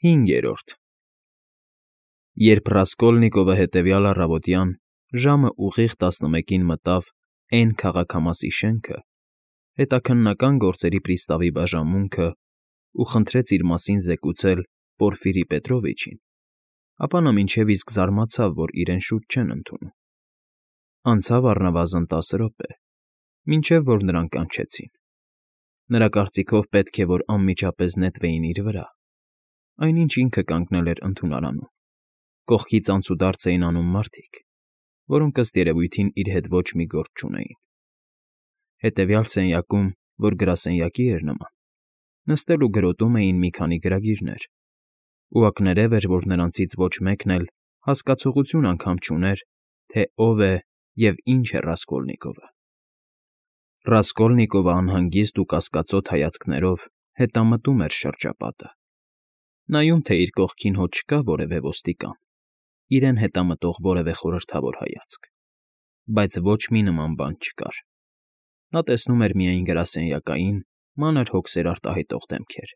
5. Երբ Ռասկոլնիկովը հետևյալ առավոտյան ժամը ուղիղ 11-ին մտավ Էն քաղաքամասի շենքը, հետաքննական գործերի պրիստավի բաժանմունքը ու խնդրեց իր մասին զեկուցել Պորֆիրի Պետրովիչին, ապա նա մինչև իսկ զարմացավ, որ իրեն շուտ չեն ընդունում։ Անցավ առնվազն 10 րոպե, մինչև որ նրան կանչեցին։ Նրա կարծիքով պետք է, որ անմիջապես նետվեին իր վրա, այնինչ ինքը կանգնել էր ընդունարանում։ Կողքից անցուդարձ էին անում մարդիկ, որոնք ըստ երևույթին իր հետ ոչ մի գործ չունեին։ Հետևյալ սենյակում, որ գրասենյակի էր նման, նստել ու գրոտում էին մի քանի գրագիրներ, ու ակներև էր, որ նրանցից ոչ մեկն էլ հասկացողություն անգամ չուներ, թե ով է և ինչ է Ռասկոլնիկովը։ Ռասկոլնիկովը անհանգիստ ու կասկածոտ հայացքներով հետամտում էր շրջապատը, նայում, թե իր կողքին հո չկա որևէ ոստիկան, իրեն հետամտող որևէ խորհրդավոր հայացք, բայց ոչ մի նման բան չկար։ Նա տեսնում էր միայն գրասենյակային, մանր հոգսեր արտահայտող դեմքեր,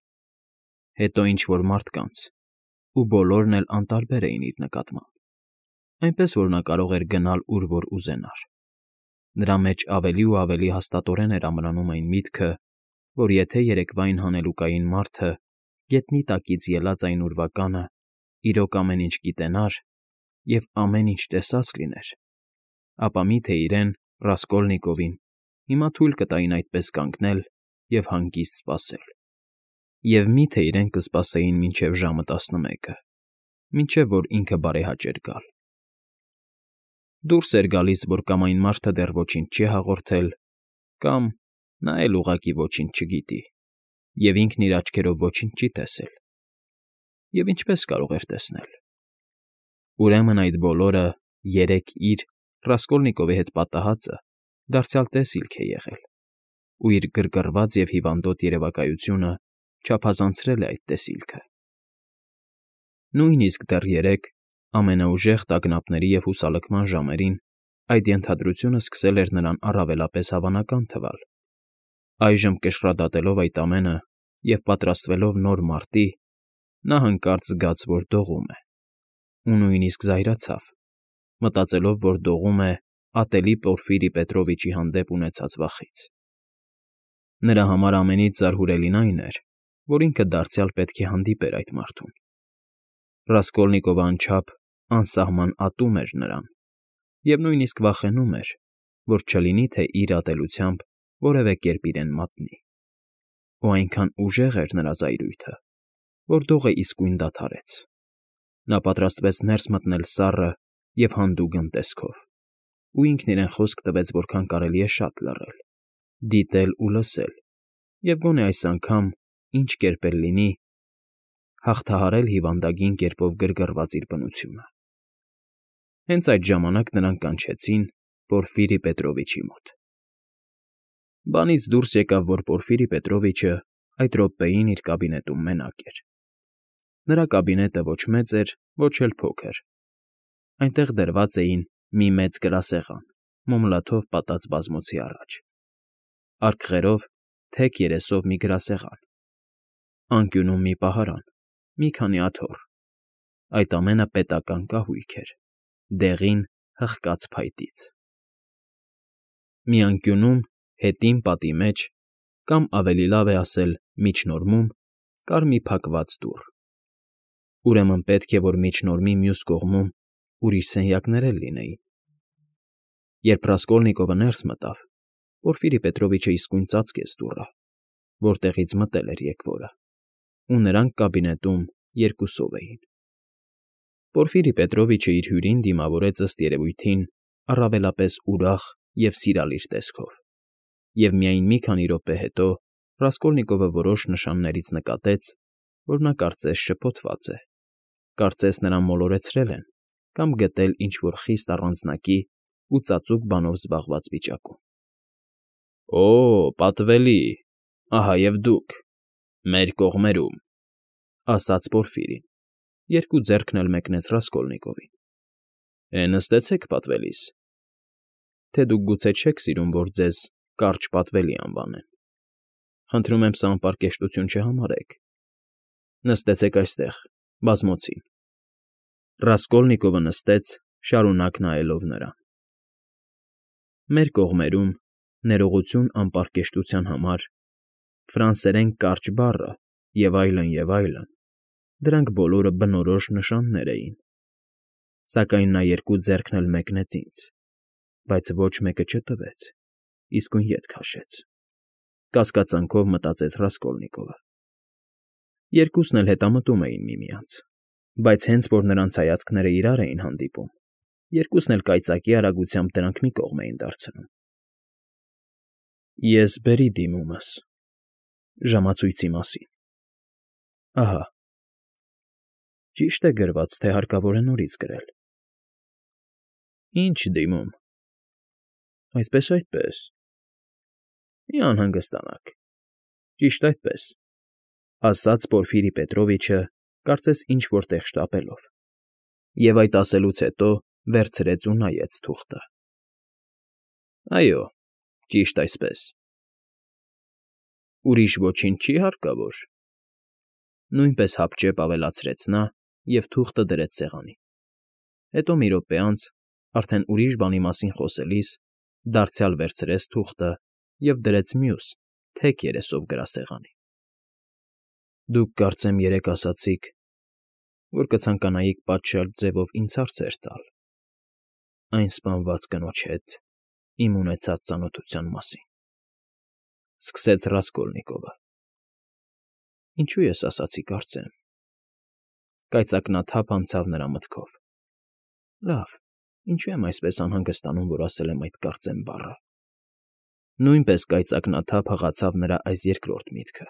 հետո ինչ֊որ մարդկանց, ու բոլորն էլ անտարբեր էին իր նկատմամբ, այնպես որ նա կարող էր գնալ ուր որ ուզենար։ Նրա մեջ ավելի ու ավելի հաստատորեն էր ամրանում այն միտքը, որ եթե երեկվա այն հանելուկային մարդը գետնի տակից ելած այն ուրվականը իրոք ամեն ինչ գիտենար և ամեն ինչ տեսած լիներ, ապա միթե իրեն, Ռասկոլնիկովին, հիմա թույլ կտային այդպես կանգնել և հանգիստ սպասել, և միթե իրեն կսպասեին մինչև ժամը 11-ը, մինչև որ ինքը բարեհաճեր գալ։ Դուրս էր գալիս, որ կամ այն մարդը դեռ ոչինչ չի հաղորդել, կամ նա էլ ուղղակի ոչինչ չգիտի, և ինքն իր աչքերով ոչինչ չի տեսել։ Եվ ինչպե՞ս կարող էր տեսնել։ Ուրեմն այդ բոլորը երեկ իր Ռասկոլնիկովի հետ պատահածը դարձյալ տեսիլք է եղել, ու իր գրգռված և հիվանդոտ երևակայությունը չափազանցրել է այդ տեսիլքը։ Նույնիսկ դեռ երեկ, ամենաուժեղ տագնապների և հուսալքման ժամերին, այդ ենթադրությունը սկսել էր նրան առավելապես հավանական թվալ։ Այժմ կշռադատելով այդ ամենը և պատրաստվելով նոր մարտի, նա հանկարծ զգաց, որ դողում է, ու նույնիսկ զայրացավ, մտածելով, որ դողում է ատելի Պորֆիրի Պետրովիչի հանդեպ ունեցած վախից։ Նրա համար ամենից զարհուրելին այն էր, որ ինքը դարձյալ պետք է հանդիպեր այդ մարդուն։ Ռասկոլնիկովը անչափ անսահման ատում էր նրան, և նույնիսկ վախենում էր, որ չլինի թե իր ատելությամբ որևէ կերպ իրեն մատնի։ Ու այնքան ուժեղ էր նրա զայրույթը, որ դողը իսկույն դադարեց։ Նա պատրաստվեց ներս մտնել սառը և հանդուգն տեսքով, ու ինքն իրեն խոսք տվեց որքան կարելի է շատ լռել, դիտել ու լսել, և գոնե այս անգամ, ինչ կերպ էլ լինի, հաղթահարել հիվանդագին կերպով գրգռված իր բնությունը։ Հենց այդ ժամանակ նրան կանչեցին Պորֆիրի Պետրովիչի մոտ։ Բանից դուրս եկավ, որ Պորֆիրի Պետրովիչը այդ րոպեին իր կաբինետում մենակ էր։ Նրա կաբինետը ոչ մեծ էր, ոչ էլ փոքր։ Այնտեղ դրված էին մի մեծ գրասեղան, մոմլաթով պատած բազմոցի առաջ, արկղերով թեք երեսով մի գրասեղան, անկյունում մի պահարան, մի քանի աթոռ, այդ ամենը պետական կահույք էր, դեղին հղկած փայտից։ Մի անկյունում, հետին պատի մեջ, կամ ավելի լավ է ասել միջնորմում, կար մի փակված դուռ։ Ուրեմն պետք է, որ միջնորմի մյուս կողմում ուրիշ սենյակներ էլ լինեին։ Երբ Ռասկոլնիկովը ներս մտավ, Պորֆիրի Պետրովիչը իսկույն ծածկեց դուռը, որտեղից մտել էր եկվորը, ու նրանք կաբինետում երկուսով էին։ Պորֆիրի Պետրովիչը իր հյուրին դիմավորեց ըստ երևույթին առավելապես ուրախ և սիրալիր տեսքով, և միայն մի քանի րոպե հետո Ռասկոլնիկովը որոշ նշաններից նկատեց, որ նա կարծես շփոթված է, կարծես նրան մոլորեցրել են կամ գտել ինչ֊որ խիստ առանձնակի ու ծածուկ բանով զբաղված վիճակում։ «Օ՜, պատվելի, ահա և դուք, մեր կողմերում», ֊ ասաց Պորֆիրին, երկու ձեռքն էլ մեկնեց Ռասկոլնիկովին։ «Նստեցեք, պատվելիս, թե դուք գուցե չեք սիրում, որ ձեզ կարճ պատվելի անվանեն։ Խնդրում եմ սա անպարկեշտություն չհամարեք։ Նստեցեք այստեղ, Բազմոցին։ Ռասկոլնիկովը նստեց, շարունակ նայելով նրան։ Մեր կողմերում, ներողություն անպարկեշտության համար, ֆրանսերեն կարճ բառը և այլն, դրանք բոլորը բնորոշ նշաններ էին, սակայն նա երկու ձեռքն էլ մեկնեց ինձ, բայց ոչ մեկը չտվեց, իսկույն ետ քաշեց, կասկածանքով մտածեց Ռասկոլնիկովը։ Երկուսն էլ հետամտում էին միմյանց, բայց հենց որ նրանց հայացքները իրար էին հանդիպում, երկուսն էլ կայծակի արագությամբ դրանք մի կողմ էին դարձնում։ Ես բերի դիմումս ժամացույցի մասին։ Ահա։ Ճիշտ է գրված, թե հարկավոր է նորից գրել։ Ինչ դիմում։ Այդպես։ Մի անհանգստանաք։ Ճիշտ այդպես, ասաց Պորֆիրի Պետրովիչը, կարծես ինչ֊որ տեղ շտապելով, և այդ ասելուց հետո վերցրեց ու նայեց թուղթը։ Այո, ճիշտ այսպես։ Ուրիշ ոչինչ չի հարկավոր։ Նույնպես հապճեպ ավելացրեց նա և թուղթը դրեց սեղանին։ Հետո մի րոպե անց, արդեն ուրիշ բանի մասին խոսելիս, դարձյալ վերցրեց թուղթը և դրեց մյուս, թեք երեսով գրասեղանին։ Դուք կարծեմ երեկ ասացիք, որ կցանկանայիք պատշաճ ձևով ինձ հարցեր տալ այն սպանված կնոջ հետ իմ ունեցած ծանոթության մասին, սկսեց Ռասկոլնիկովը։ Ինչու ես ասացի կարծեմ։ Կայծակնաթափ անցավ նրա մտքով։ Լավ, ինչու եմ այսպես անհանգստանում, որ ասել եմ այդ կարծեմ բառը։ Նույնպես կայծակնաթափ հղացավ նրա այս երկրորդ միտքը։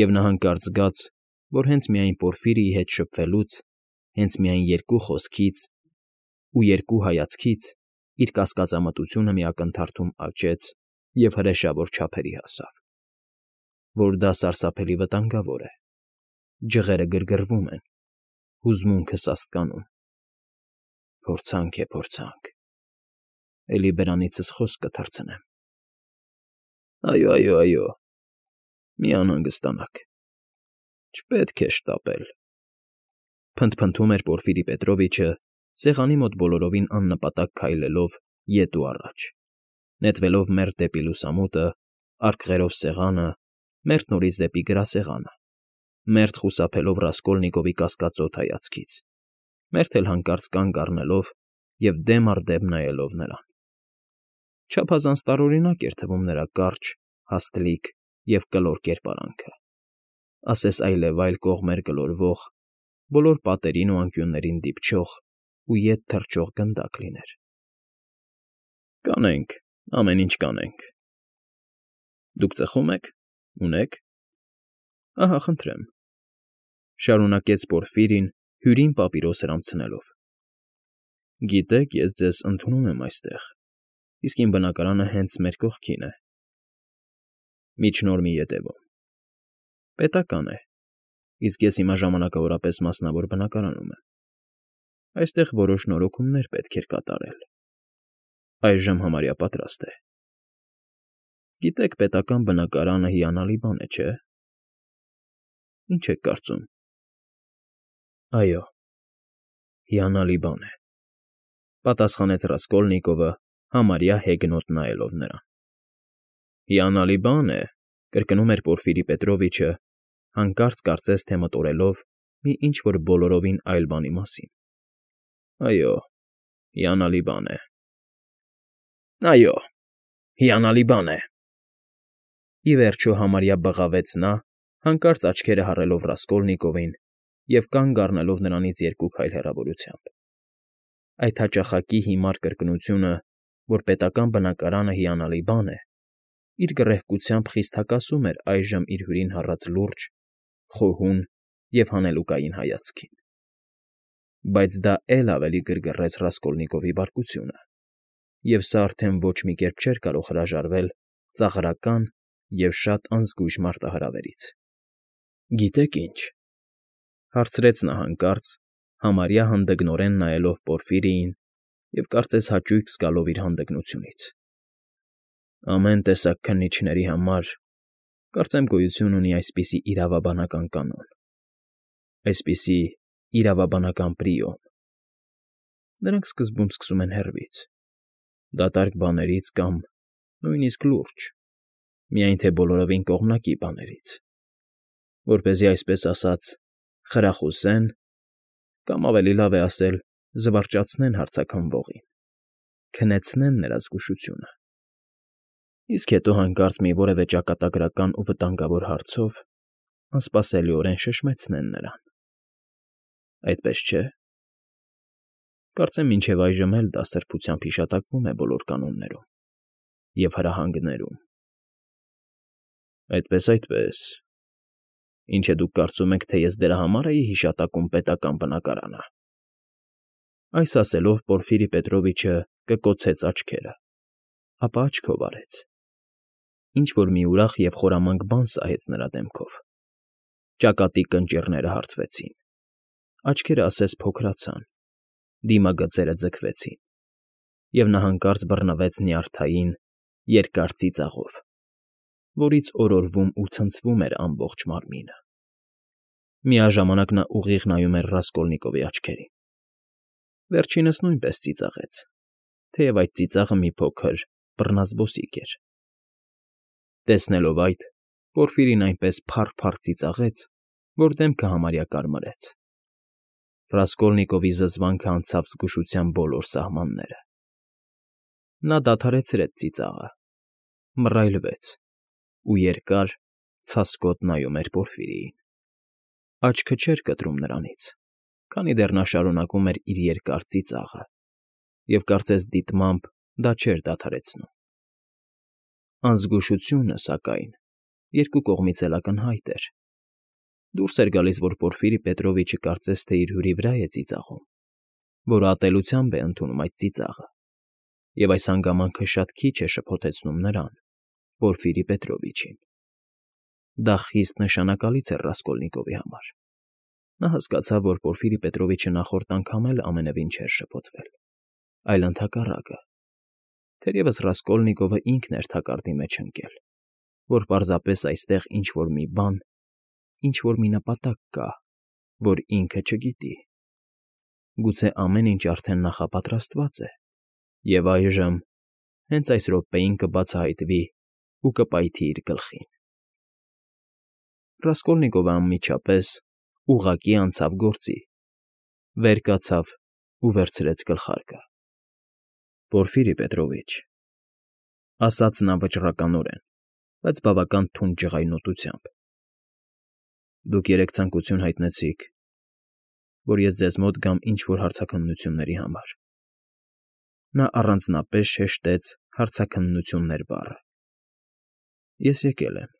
Եվ նա հանկարծ զգաց, որ հենց միայն Պորֆիրիի հետ շփվելուց, հենց միայն երկու խոսքից ու երկու հայացքից իր կասկածամտությունը մի ակնթարթում աճեց և հրեշավոր չափերի հասավ, որ դա սարսափելի վտանգավոր է, ջղերը գրգռվում են, հուզմունքը սաստկանում։ Փորձանք, էլի բերանիցս խոսք կթռցնեմ։ Այո, մի անհանգստանաք, չպետք է շտապել, փնթփնթում էր Պորֆիրի Պետրովիչը, սեղանի մոտ բոլորովին աննպատակ քայլելով ետ ու առաջ, նետվելով մերթ դեպի լուսամուտը, արկղերով սեղանը, մերթ նորից դեպի գրասեղանը, մերթ խուսափելով Ռասկոլնիկովի կասկածոտ հայացքից, մերթ էլ հանկարծ կանգ առնելով և դեմ առ դեմ նայելով նրան։ Չափազանց տարօրինակ էր թվում նրա կարճ, հաստլիկ և կլոր կերպարանքը, ասես այլևայլ կողմեր գլորվող, բոլոր պատերին ու անկյուններին դիպչող ու ետ թռչող գնդակ լիներ։ Կանենք, ամեն ինչ կանենք։ Դուք ծխո՞ւմ եք, ունե՞ք։ Ահա, խնդրեմ, շարունակեց Պորֆիրին, հյուրին պապիրոս հրամցնելով։ Գիտեք, ես ձեզ ընդունում եմ այստեղ, իսկ իմ բնակարանը հենց մեր կողքին է։ Միջնորմի ետևում։ Պետական է, իսկ ես հիմա ժամանակավորապես մասնավոր բնակարանում եմ։ Այստեղ որոշ նորոգումներ պետք էր կատարել։ Այժմ համարյա պատրաստ է։ Գիտեք, պետական բնակարանը հիանալի բան է, չէ՞։ Ինչ եք կարծում։ Այո, հիանալի բան է, պատասխանեց Ռասկոլնիկովը, համարյա հեգնոտ նայելով նրան։ Հիանալի բան է, կրկնում էր Պորֆիրի Պետրովիչը, հանկարծ կարծես թե մտորելով մի ինչ֊որ բոլորովին այլ բանի մասին։ Այո, հիանալի բան է։ Այո, հիանալի բան է։ Ի վերջո համարյա բղավեց նա, հանկարծ աչքերը հառելով Ռասկոլնիկովին և կանգ առնելով նրանից երկու քայլ հեռավորությամբ։ Այդ հաճախակի հիմար կրկնությունը, որ պետական բնակարանը հիանալի բան է, իր գռեհկությամբ խիստ հակասում էր այժմ իր հյուրին հառած լուրջ, խոհուն և հանելուկային հայացքին։ Բայց դա էլ ավելի գրգռեց Ռասկոլնիկովի բարկությունը, և սա արդեն ոչ մի կերպ չէր կարող հրաժարվել ծաղրական և շատ անզգույշ մարտահրավերից։ Գիտեք ինչ,֊ հարցրեց նա հանկարծ, համարյա հանդգնորեն նայելով Պորֆիրիին և կարծես հաճույք զգալով իր հանդգնությունից։ Ամեն տեսակ քննիչների համար, կարծեմ, գոյություն ունի այսպիսի իրավաբանական կանոն, Այսպիսի իրավաբանական պրիոմ։ Նրանք սկզբում սկսում են հեռվից, դատարկ բաներից կամ նույնիսկ լուրջ, միայն թե բոլորովին կողմնակի բաներից, որպեսզի այսպես ասած խրախուսեն կամ ավելի լավ է ասել զվարճացնեն հարցաքննվողին, քնեցնեն նրա զգուշությունը, իսկ հետո հանկարծ մի որևէ ճակատագրական ու վտանգավոր հարցով անսպասելիորեն շշմեցնեն նրան։ Այդպես չէ՞։ Կարծեմ մինչև այժմ էլ դա սրբությամբ հիշատակվում է բոլոր կանոններում և հրահանգներում։ Այդպես։ Ինչ է դուք կարծում եք, թե ես դրա համար էի հիշատակում պետական բնակարանը։ Այս ասելով Պորֆիրի Պետրովիչը կկոցեց աչքերը, ապա աչքով արեց։ Ինչ-որ մի ուրախ և խորամանկ բան սահեց նրա դեմքով։ Ճակատի կնճիռները հարթվեցին, աչքերը ասես փոքրացան, դիմագծերը ձգվեցին, և նա հանկարծ բռնվեց նյարդային, երկար ծիծաղով, որից օրորվում ու ցնցվում էր ամբողջ մարմինը։ Միաժամանակ նա ուղիղ նայում էր Ռասկոլնիկովի աչքերին։ Վերջինս նույնպես ծիծաղեց, թեև այդ ծիծաղը մի փոքր բռնազբոսիկ էր։ Տեսնելով այդ, Պորֆիրին այնպես փառ-փառ ծիծաղեց, որ դեմքը համարյա կարմրեց։ Ռասկոլնիկովի զզվանքը անցավ զգուշության բոլոր սահմանները։ Նա դադարեցրեց ծիծաղը, մռայլվեց ու երկար, ցասկոտ նայում էր Պորֆիրիին։ Աչքը չէր կտրում նրանից, քանի դեռ նա շարունակում էր իր երկար ծիծաղը, և կարծես դիտմամբ դա չէր դադարեցնում։ Անզգուշությունը, սակայն, երկու կողմից էլ ակնհայտ էր։ Դուրս էր գալիս, որ Պորֆիրի Պետրովիչը կարծես թե իր հյուրի վրա է ծիծաղում, որ ատելությամբ է ընդունում այդ ծիծաղը, և այս հանգամանքը շատ քիչ է շփոթեցնում նրան, Պորֆիրի Պետրովիչին։ Դա խիստ նշանակալից էր Ռասկոլնիկովի համար։ Նա հասկացավ, որ Պորֆիրի Պետրովիչը նախորդ անգամ էլ ամենևին չէր շփոթվել, այլ ընդհակառակը, թերևս Ռասկոլնիկովը ինքն էր թակարդի մեջ ընկել, որ պարզապես այստեղ ինչ֊որ մի բան, ինչ֊որ մի նպատակ կա, որ ինքը չգիտի։ Գուցե ամեն ինչ արդեն նախապատրաստված է, և այժմ, հենց այս րոպեին կբացահայտվի ու կպայթի իր գլխին։ Ռասկոլնիկովը անմիջապես, ուղղակի անցավ գործի, վեր կացավ ու վերցրեց գլխարկը։ Պորֆիրի Պետրովիչ, ասաց նա վճռականորեն, բայց բավական թունդ ջղայնոտությամբ, դուք երեկ ցանկություն հայտնեցիք, որ ես ձեզ մոտ գամ ինչ֊որ հարցաքննությունների համար։ Նա առանձնապես շեշտեց հարցաքննություններ բառը։ Ես եկել եմ։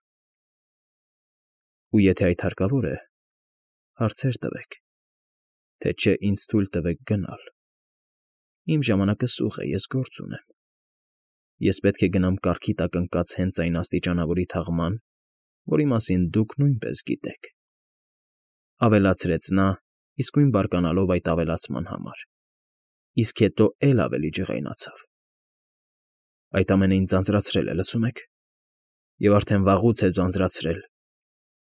Ու եթե այդ հարկավոր է, հարցեր տվեք, թե չէ ինձ թույլ տվեք գնալ։ Իմ ժամանակը սուղ է, ես գործ ունեմ։ Ես պետք է գնամ կառքի տակ ընկած հենց այն աստիճանավորի թաղման, որի մասին դուք նույնպես գիտեք,֊ ավելացրեց նա, իսկույն բարկանալով այդ ավելացման համար, իսկ հետո էլ ավելի ջղայնացավ։ Այդ ամենը ինձ ձանձրացրել է, լսում եք, և արդեն վաղուց է ձանձրացրել։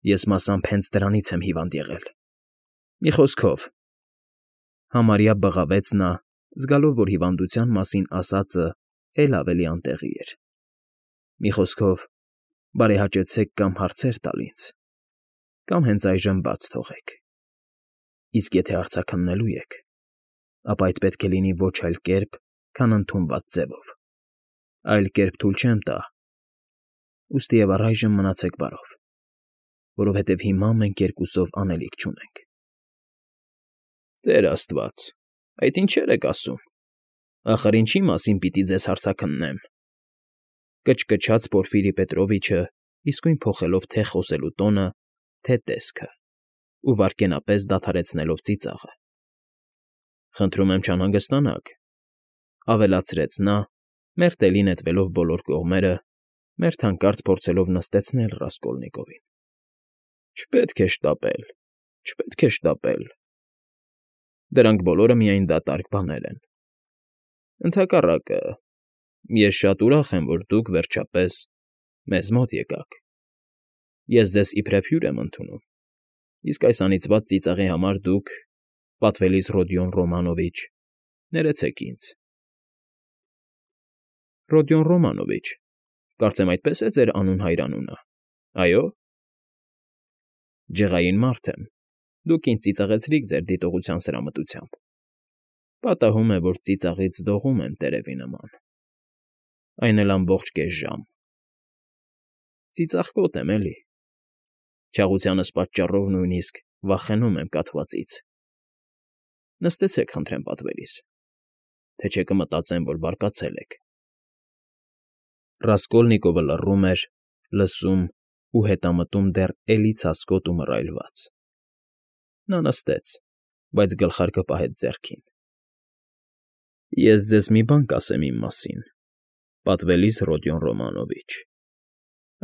Ես մասամբ հենց դրանից եմ հիվանդ եղել։ Մի խոսքով, համարյա բղավեց նա, զգալով, որ հիվանդության մասին ասածը էլ ավելի անտեղի էր։ Մի խոսքով, բարեհաճեցեք կամ հարցեր տալ ինձ, կամ հենց այժմ բաց թողեք։ Իսկ եթե հարցաքննելու եք, ապա այդ պետք է լինի ոչ այլ կերպ, քան ընդունված ձևով։ Այլ կերպ թույլ չեմ տա։ Ուստի և առայժմ մնացեք բարով, որովհետև հիմա մենք երկուսով անելիք չունենք։ Տեր աստված, այդ ինչեր եք ասում։ Ախր ինչի մասին պիտի ձեզ հարցաքննեմ,֊ կչկչաց Պորֆիրի Պետրովիչը, իսկույն փոխելով թե խոսելու տոնը, թե տեսքը, ու վայրկենապես դադարեցնելով ծիծաղը։ Խնդրում եմ չանհանգստանաք,֊ ավելացրեց նա, մերթելի նետվելով բոլոր կողմերը, մերթ հանկարծ փորձելով նստեցնել Ռասկոլնիկովին։ Չպետք է շտապել, չպետք է շտապել։ Դրանք բոլորը միայն դատարկ բաներ են։ Ընդհակառակը, ես շատ ուրախ եմ, որ դուք, վերջապես, մեզ մոտ եկաք։ Ես ձեզ իբրև հյուր եմ ընդունում, Իսկ այս անիծված ծիծաղի համար դուք, պատվելիս Ռոդիոն Ռոմանովիչ, ներեցեք ինձ։ Ռոդիոն Ռոմանովիչ, կարծեմ այդպես է ձեր անուն֊հայրանունը, այո՞։ Ջղային մարդ եմ, դուք ինձ ծիծաղեցրիք ձեր դիտողության սրամտությամբ։ Պատահում է, որ ծիծաղից դողում եմ տերևի նման, այն էլ ամբողջ կես ժամ։ Ծիծաղկոտ եմ, էլի։ Չաղությանս պատճառով նույնիսկ վախենում եմ կաթվածից։ Նստեցեք, խնդրեմ, պատվելիս, թե չէ կմտածեմ, որ բարկացել եք։ Ռասկոլնիկովը լռում էր, լսում ու հետամտում դեռ էլի ցասկոտ ու մռայլված։ Նա նստեց, բայց գլխարկը պահեց ձեռքին։ Ես ձեզ մի բան կասեմ իմ մասին, պատվելիս Ռոդիոն Ռոմանովիչ,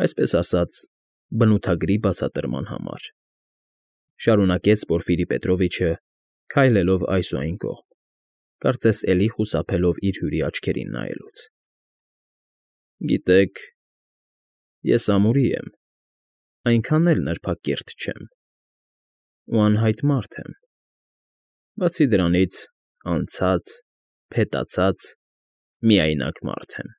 այսպես ասած, բնութագրի բացատրման համար, շարունակեց Պորֆիրի Պետրովիչը, քայլելով այս ու այն կողմ, կարծես էլի խուսափելով իր հյուրի աչքերին նայելուց։ Գիտեք, ես ամուրի եմ, այնքան էլ նրբակիրթ չեմ, ու անհայտ մարդ եմ, բացի դրանից անցած, փետացած, միայնակ մարդ եմ։